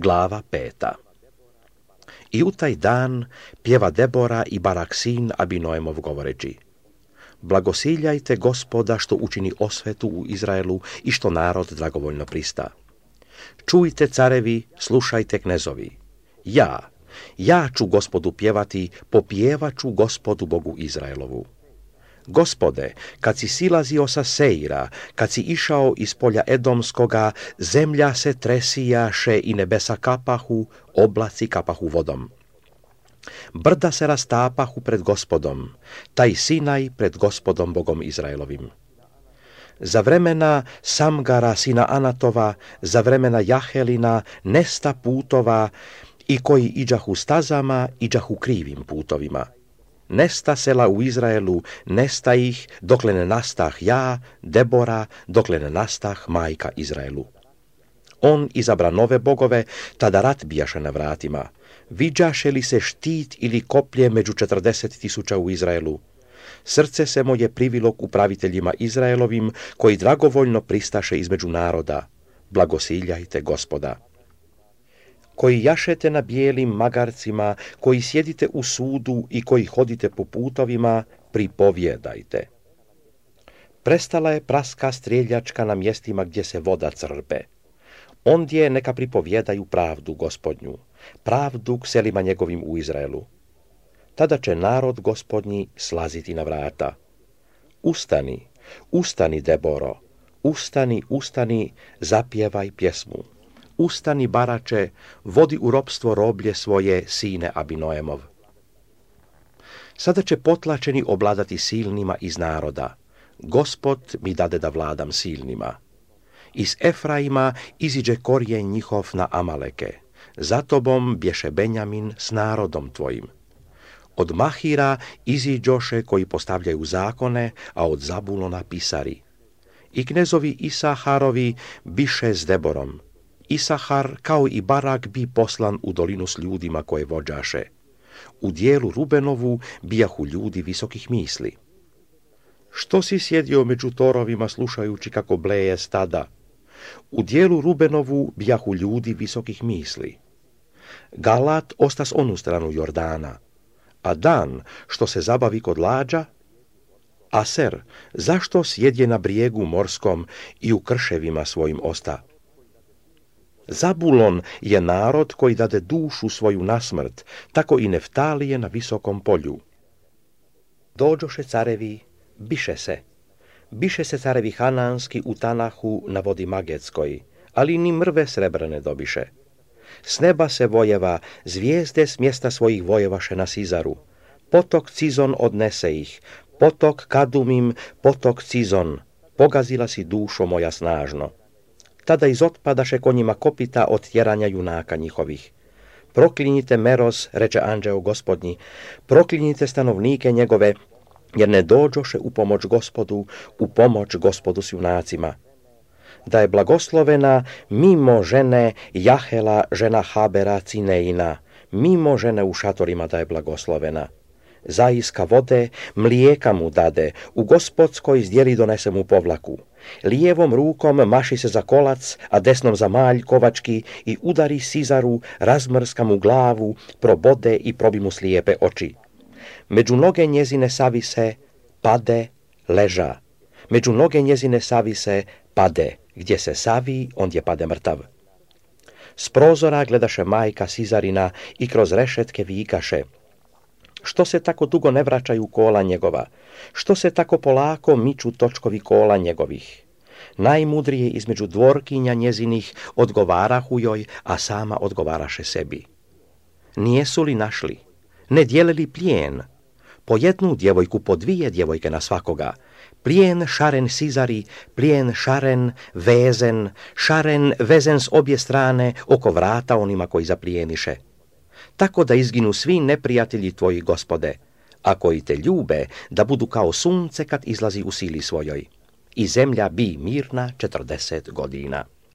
Glava 5. I u taj dan pjeva Debora i Barak sin Abinoemov govoreći: Blagosiljajte Gospoda što učini osvetu u Izraelu i što narod dragovoljno prista. Čujte carevi, slušajte knezovi. Ja ću Gospodu pjevati, popjevat ću Gospodu Bogu Izraelovu. Gospode, kad si silazio sa Seira, kad si išao iz polja Edomskoga, zemlja se tresijaše i nebesa kapahu, oblaci kapahu vodom. Brda se rastapahu pred Gospodom, taj Sinaj pred Gospodom Bogom Izraelovim. Za vremena Samgara sina Anatova, za vremena Jahelina, nesta putova, i koji iđahu stazama, iđahu krivim putovima. Nesta sela u Izraelu, nesta ih, dokle ne nastah ja, Debora, dokle ne nastah majka Izraelu. On izabra nove bogove, tada rat bijaše na vratima. Viđaše li se štit ili koplje među 40.000 u Izraelu? Srce se moje privilo k upraviteljima Izraelovim, koji dragovoljno pristaše između naroda. Blagosiljajte Gospoda. Koji jašete na bijelim magarcima, koji sjedite u sudu i koji hodite po putovima, pripovjedajte. Prestala je praska strijeljačka na mjestima gdje se voda crpe. Ondje neka pripovjedaju pravdu Gospodnju, pravdu k selima njegovim u Izraelu. Tada će narod Gospodnji slaziti na vrata. Ustani, ustani Deboro, ustani, zapjevaj pjesmu. Ustani Barače, vodi u ropstvo roblje svoje, sine Abinoemov. Sada će potlačeni obladati silnima iz naroda. Gospod mi dade da vladam silnima. Iz Efraima iziđe korijen njihov na Amaleke. Za tobom bješe Benjamin s narodom tvojim. Od Mahira iziđoše koji postavljaju zakone, a od Zabulona pisari. I knezovi Isaharovi biše s Deborom. Isahar kao i Barak bi poslan u dolinu s ljudima koje vođaše. U dijelu Rubenovu bijahu ljudi visokih misli. Što si sjedio među torovima slušajući kako bleje stada? U dijelu Rubenovu bijahu ljudi visokih misli. Galat osta s onu stranu Jordana, a Dan što se zabavi kod lađa? Aser, zašto sjedje na brijegu morskom i u krševima svojim osta? Zabulon je narod koji dade dušu svoju na smrt, tako i Neftalije na visokom polju. Dođoše carevi, biše se carevi Hananski u Tanahu na vodi Magetskoj, ali ni mrve srebrne dobiše. S neba se vojeva, zvijezde s mjesta svojih vojevaše na Sizaru. Potok Cizon odnese ih, potok Kadumim, potok Cizon, pogazila si dušo moja snažno. Tada izotpadaše konjima kopita od tjeranja junaka njihovih. Proklinjite Meroz, reče anđeo Gospodnji, proklinjite stanovnike njegove, jer ne dođoše u pomoć Gospodu s junacima. Da je blagoslovena mimo žene Jahela, žena Habera Cineina, mimo žene u šatorima da je blagoslovena. Zaiska vode, mlijeka mu dade, u gospodskoj zdjeli donese mu povlaku. Lijevom rukom maši se za kolac, a desnom za malj kovački i udari Sizaru, razmrska mu glavu, probode i probi mu slijepe oči. Među noge njezine savise, pade, leža. Među noge njezine savise, pade, gdje se savi, ondje pade mrtav. S prozora gledaše majka Sizarina i kroz rešetke vikaše: Što se tako dugo ne vraćaju kola njegova? Što se tako polako miču točkovi kola njegovih? Najmudrije između dvorkinja njezinih odgovarahu joj, a sama odgovaraše sebi. Nijesu li našli? Ne dijelili plijen? Po jednu djevojku, po dvije djevojke na svakoga. Plijen šaren Sizari, plijen šaren vezen s obje strane oko vrata onima koji zaplijeniše. Tako da izginu svi neprijatelji tvoji, Gospode, a koji te ljube da budu kao sunce kad izlazi u sili svojoj. I zemlja bi mirna 40 godina.